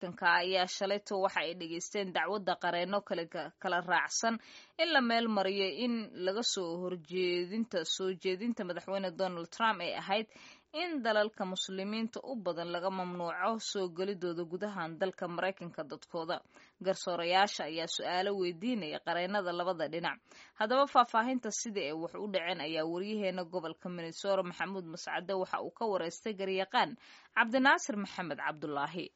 Maraykanka ayaa shalayto waxa ay dhegaysteen dacwadda qareenno kala raacsan in la meel mariyo in laga soo horjeedinta soo jeedinta madaxweyne Donald Trump ay ahayd in dalalka Muslimiinta u badan laga mamnuuco soo gelidooda gudahan dalka Maraykanka dadkooda. Garsoorayaasha ayaa su-aalo weydiinaya qareennada labada dhinac. Haddaba, faahfaahinta sidii ay wax u dhaceen ayaa wariyaheena gobolka Minnesota, Maxamuud Mascade, waxa uu ka wareystay garyaqaan Cabdinaasir Maxamed Cabdulaahi.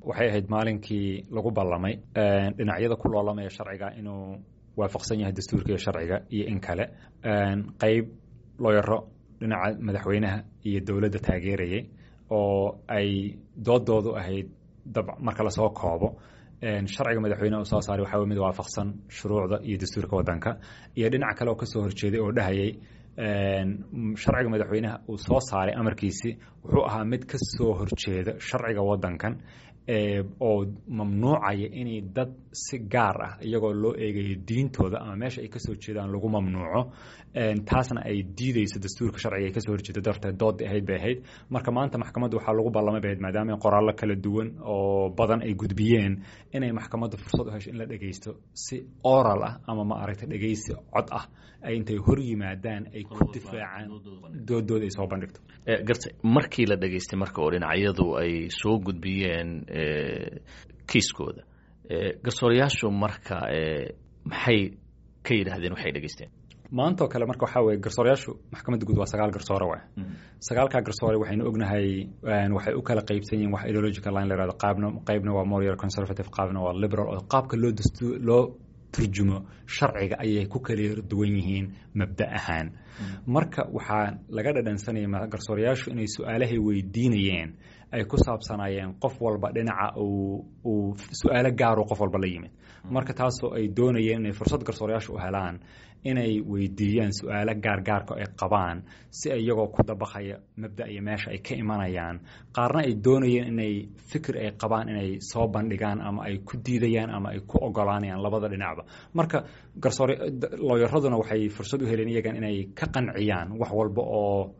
Waxay ahayd maalinkii lagu ballamay dhinacyada ku loolamaya sharciga inuu waafaqsan yahay dastuurka iyo sharciga iyo in kale. Qayb looyaro dhinaca madaxweynaha iyo dowladda taageerayay oo ay doodoodu ahayd dab marka lasoo koobo, sharciga madaxweyneha uu soo saaray waxaa wey mid waafaqsan shuruucda iyo dastuurka waddanka, iyo dhinac kale oo kasoo horjeeday oo dhahayay sharciga madaxweynaha uu soo saaray amarkiisi wuxuu ahaa mid ka soo horjeeda sharciga waddankan oo mamnuucaya inay dad si gaar ah, iyagoo loo eegayo diintooda ama meesha ay kasoo jeedaan, lagu mamnuuco, taasna ay diideyso dastuurka sharciga ay kasoo horjeedo. Darteed doodii ahayd bay ahayd. Marka maanta maxkamadda waxaa lagu ballamay bay ahayd, maadaama qoraallo kala duwan oo badan ay gudbiyeen, inay maxkamaddu fursad u hesho in la dhegeysto si oral ah ama, ma aragtay, dhegeysi cod ah, ay intay hor yimaadaan ay ku difaacaan doodooda ay soo bandhigto. Gartay. Markii la dhegeystay marka oo dhinacyadu ay soo gudbiyeen kiiskooda, garsoorayaashu marka maxay ka yidhaahdeen waxay dhegeysteen? Maantoo kale marka waxaa weye, garsoorayaashu maxkamadda guud waa sagaal garsoore. Waay sagaalkaa garsoore waxaynu ognahay waxay u kala qaybsan yihin wax ideological line la yihahdo. Qaabna qaybna waa more conservative, qaabna waa liberal, oo qaabka loo dastu loo turjumo sharciga ayay ku kala duwan yihiin mabda ahaan. Marka waxaa laga dhadhansanaya garsoorayaashu inay su-aalahay weydiinayeen ay ku saabsanaayeen qof walba dhinaca uu su-aalo gaaru qof walba la yimid. Marka taasoo ay doonayeen inay fursad garsoorayaashu u helaan inay weydiiyaan su-aalo gaargaarka ay qabaan, si iyagoo ku dabaqaya mabda iyo meesha ay ka imanayaan, qaarna ay doonayeen inay fikir ay qabaan inay soo bandhigaan ama ay ku diidayaan ama ay ku ogolaanayaan labada dhinacba. Marka garsoor looyaraduna waxay fursad u heleen iyagan inay ka qanciyaan wax walba oo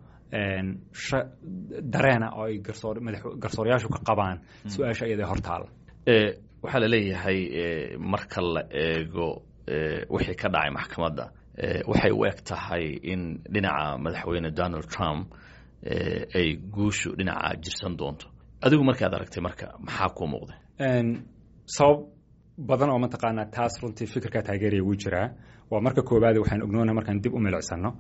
dareena oo ay garsoorayaashu ka qabaan su-aasha iyada hortaala. Waxaa la leeyahay marka la eego wixii ka dhacay maxkamadda, waxay u eg tahay in dhinaca madaxweyne Donald Trump ay guushu dhinaca jirsan doonto. Adigu markaad aragtay marka, maxaa kuu muuqday? Sabab badan oo mataqaanaa taas runtii fikirkaa taageeraya wuu jiraa. Waa marka koowaad, waxaan ognoona markaan dib u milicsano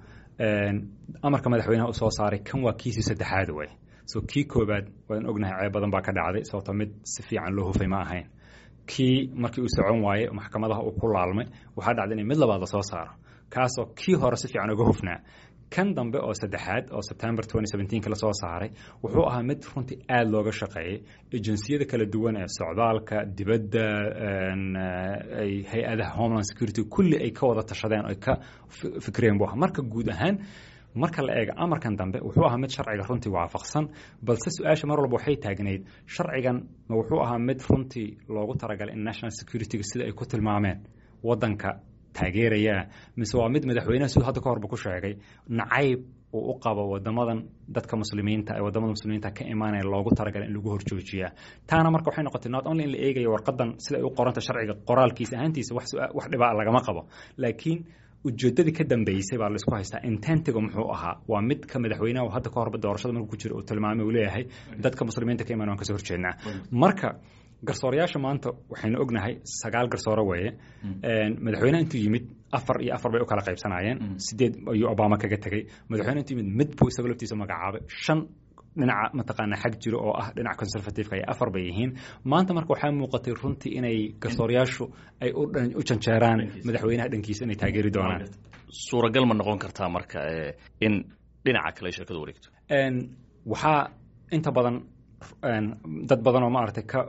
amarka madaxweynaha u soo saaray, kan waa kiisii saddexaad wey. So kii koobaad waan ognahay ceeb badan baa ka dhacday, sababto mid si fiican loo hufay ma ahayn. Kii markii uu socon waayey, maxkamadaha uu ku laalmay, waxaa dhacday inay mid labaad lasoo saaro, kaasoo kii hore si fiican uga hufnaa. Kan dambe oo saddexaad oo September ka lasoo saaray wuxuu ahaa mid runtii aada looga shaqeeyey. Agencyyada kala duwan ee socdaalka dibadda, hay-adaha Homeland Security, kulli ay ka wada tashadeen oo ay ka fikreen buu ahaa. Marka guud ahaan marka la eego, amarkan dambe wuxuu ahaa mid sharciga runtii waafaqsan, balse su-aasha mar walba waxay taagnayd: sharcigan ma wuxuu ahaa mid runtii loogu talagalay in national securityga, sida ay ku tilmaameen, waddanka taageerayaa, mise waa mid madaxweynaha, siduu hadda ka horba ku sheegay, nacayb uu u qabo wadamadan dadka Muslimiinta ee wadamada Muslimiinta ka imaanaya loogu talagalay in lagu horjoojiyaa? Taana marka waxay noqotay not only in la eegayo warqadan sida ay u qoranta, sharciga qoraalkiisa ahaantiisa wax dhibaa lagama qabo, laakiin ujeedadii ka dambeysay baa laisku haystaa. Intentiga muxuu ahaa? Waa mid ka madaxweynaha hadda ka horba doorashada markuu ku jira uu tilmaamay, uu leeyahay dadka Muslimiinta ka imaan waan kasoo horjeednaa. Marka garsoorayaasha maanta waxaynu ognahay sagaal garsoore weeye. Madaxweyneha intuu yimid afar iyo afar bay u kala qaybsanaayeen, sideed ayuu Obama kaga tegey. Madaxweyne intuu yimid mid buu isaga laftiisa magacaabay, shan dhinaca mataqaanaa xag jiro oo ah dhinaca conservativeka ay afar bay yihiin maanta. Marka waxaa muuqatay runtii inay garsoorayaashu ay u janjeeraan madaxweynaha dhankiisa, inay taageeri doonaan. Suuragal ma noqon kartaa marka in dhinaca kale shirkadu wareegto? Waxaa inta badan dad badan oo, maaragtay, ka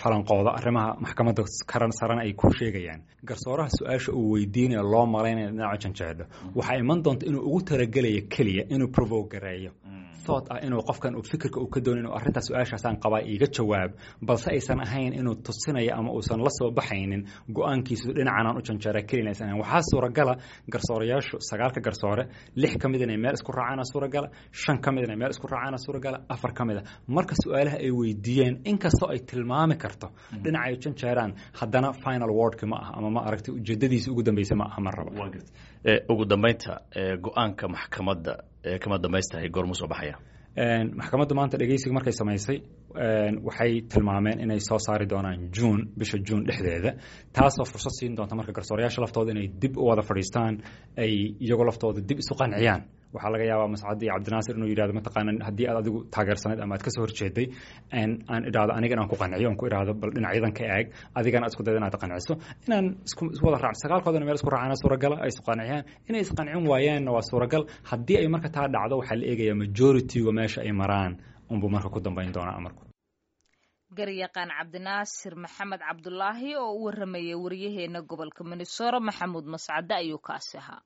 falanqooda arrimaha maxkamadda karan sarana ay ku sheegayaan, garsooraha su-aasha uu weydiinayo loo malaynaya dhinaca janjeedho waxaa iman doonta inuu ugu talagelayo keliya inuu provoke gareeyo. Thought ah inuu qofkan uu fikirka uu ka doonin inuu arrintaas su-aashaasaan qabaa iiga jawaab, balse aysan ahayn inuu tusinayo ama uusan la soo baxaynin go-aankiisu dhinacanaan u janjeera kelina aysan ahayn. Waxaa suuragala garsoorayaashu 9-ka garsoore 6 ka mid inay meel isku raacaana suuragala, 5 ka mid inay meel isku raacaana suuragala, 4 ka mid a marka su-aalaha ay weydiiyeen inkastoo ay tilmaami karto dhinaca ay u janjeeraan, haddana final wordki ma aha ama ma aragtay ujeedadiisa ugu dambeysa ma aha mar raba. Ugu dambeynta, go-aanka maxkamadda kama dambaystahay goormuu soo baxaya? Maxkamaddu maanta dhegeysiga markay samaysay waxay tilmaameen inay soo saari doonaan Juun, bisha Juun dhexdeeda, taasoo fursad siin doonta marka garsoorayaasha laftooda inay dib u wada fadhiistaan, ay iyagoo laftooda dib isu qanciyaan. Waxaa laga yaabaa Mascadi iyo Cabdinaasir inuu yidhahdo, mataqaana, haddii aad adigu taageersanayd ama aad kasoo horjeeday, aan idhaahdo aniga inaan ku qanciyo, aan ku idhaahdo bal dhinacyadan ka eeg, adigana aad isku dayda inaad qanciso, inaan isku wada raac sagaalkoodana meel isku raacana suuragala, ay isku qanciyaan. Inay isqancin waayaanna waa suuragal. Haddii ay marka taa dhacdo, waxaa la eegayaa majority-ga meesha ay maraan unbuu marka ku dambayn doonaa amarku. Garyaqaan Cabdinaasir Maxamed Cabdulaahi oo u waramayay wariyaheena gobolka Minnesota Maxamuud Mascade ayuu kaasi ahaa.